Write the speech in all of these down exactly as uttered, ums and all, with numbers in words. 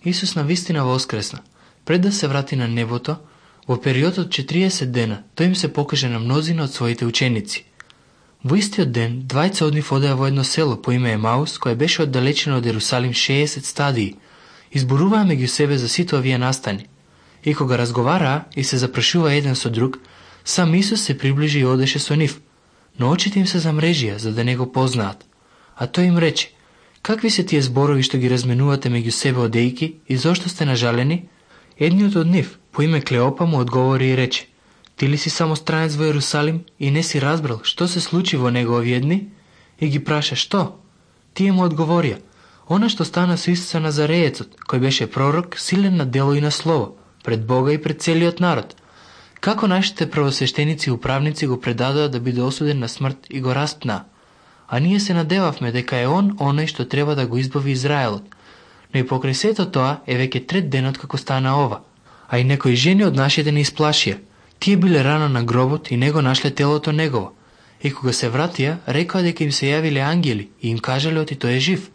Исус навистина воскресна. Пред да се врати на небото, во период од четириесет дена, тој им се покаже на мнозина од своите ученици. Во истиот ден, двајца од нив одеа во едно село по име Емаус, кое беше оддалечено од Ерусалим шеесет стадии. Изборуваа меѓу себе за сите овие настани. И кога разговараа и се запрашува еден со друг, сам Исус се приближи и одеше со нив, но очите им се замрежија за да не го познаат. А тој им рече: какви се тие зборови што ги разменувате меѓу себе одејки и зошто сте нажалени? Едниот од нив, по име Клеопа, му одговори и рече: ти ли си само странец во Ерусалим и не си разбрал што се случи во него овие дни? И ги праша: што? Тие му одговорија: она што стана со Исуса Назареецот, кој беше пророк, силен на дело и на слово, пред Бога и пред целиот народ. Како нашите првосвештеници и управници го предадоа да биде осуден на смрт и го распнаа. А ние се надевавме дека е он оној што треба да го избави Израелот. Но и покрај сето тоа е веќе трет денот како стана ова. А и некои жени од нашите не исплашија. Тие биле рано на гробот и не го нашле телото негово. И кога се вратија, рекоа дека им се јавиле ангели и им кажале оти тој е жив.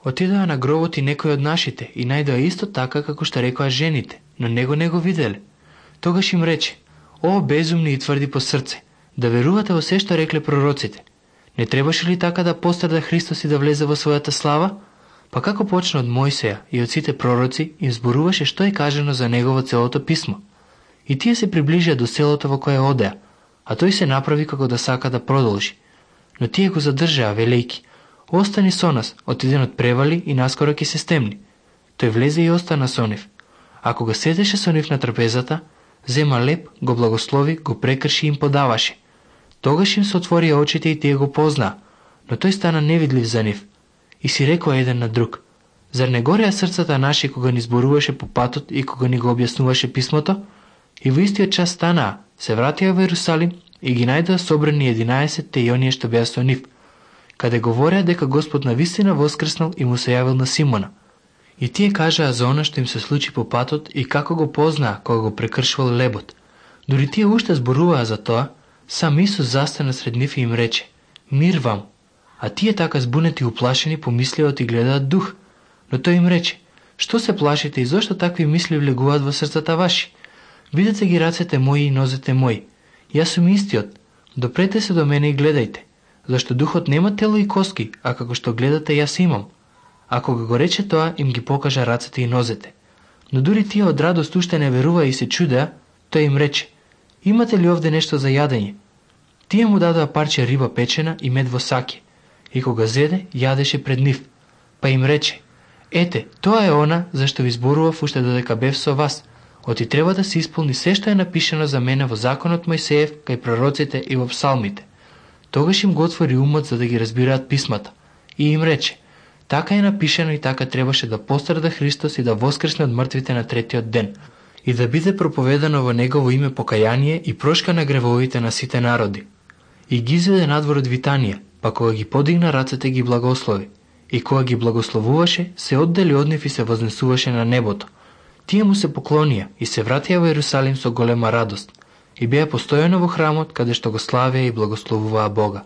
Отидоа на гробот и некои од нашите и најдоа исто така како што рекоа жените, но него не го виделе. Тогаш им рече: о, безумни и тврди по срце, да верувате во се што рекле пророците. Не требаше ли така да пострада Христос и да влезе во својата слава? Па како почна од Мојсеја и од сите пророци, им зборуваше што е кажано за него во целото писмо. И тие се приближија до селото во кое одеа, а тој се направи како да сака да продолжи. Но тие го задржаа, велејки: остани со нас, отиденот превали и наскоро ќе се стемни. Тој влезе и остана со нив. А кога седеше со нив на трапезата, зема леп, го благослови, го прекрши и им подаваше. Тогаш им се отворија очите и тие го познаа, но тој стана невидлив за нив. И си рекоа еден на друг: зар не гореа срцата наши кога ни зборуваше по патот и кога ни го објаснуваше писмото? И во истиот час станаа, се вратија во Ерусалим и ги најдоа собрани единаесетте и оние што беа со нив, каде говореа дека Господ навистина воскреснал и му се јавил на Симона. И тие кажаа за она што им се случи по патот и како го познаа кога го прекршувал лебот. Дури тие уште зборуваа за тоа, сам Исус застана сред нив и им рече: мир вам. А тие така збунети и уплашени помислеа оти гледаат дух. Но тој им рече: што се плашите и зошто такви мисли влегуваат во срцата ваши? Видете ги рацете мои и нозете мои. Јас сум истиот. Допрете се до мене и гледајте, зашто духот нема тело и коски, а како што гледате јас имам. А кога го рече тоа, им ги покажа рацете и нозете. Но дури тие од радост уште не веруваа и се чудеа, тој им рече: имате ли овде нешто за јадење? Тие му дадоа парче риба печена и мед во саќе, и кога зеде, јадеше пред нив. Па им рече: ете, тоа е она зашто ви зборував уште додека бев со вас. Оти треба да се исполни се што е напишано за мене во законот Мојсеев, кај пророците и во псалмите. Тогаш им го отвори умот за да ги разбираат писмата. И им рече: така е напишано и така требаше да пострада Христос и да воскресне од мртвите на третиот ден, и да биде проповедано во негово име покаяние и прошка на гревовите на сите народи. И ги изведе надвор од Витанија, па кога ги подигна рацете ги благослови. И кога ги благословуваше, се оддели од нив и се вознесуваше на небото. Тие му се поклонија и се вратија во Ерусалим со голема радост и беа постојано во храмот каде што го славеа и благословуваа Бога.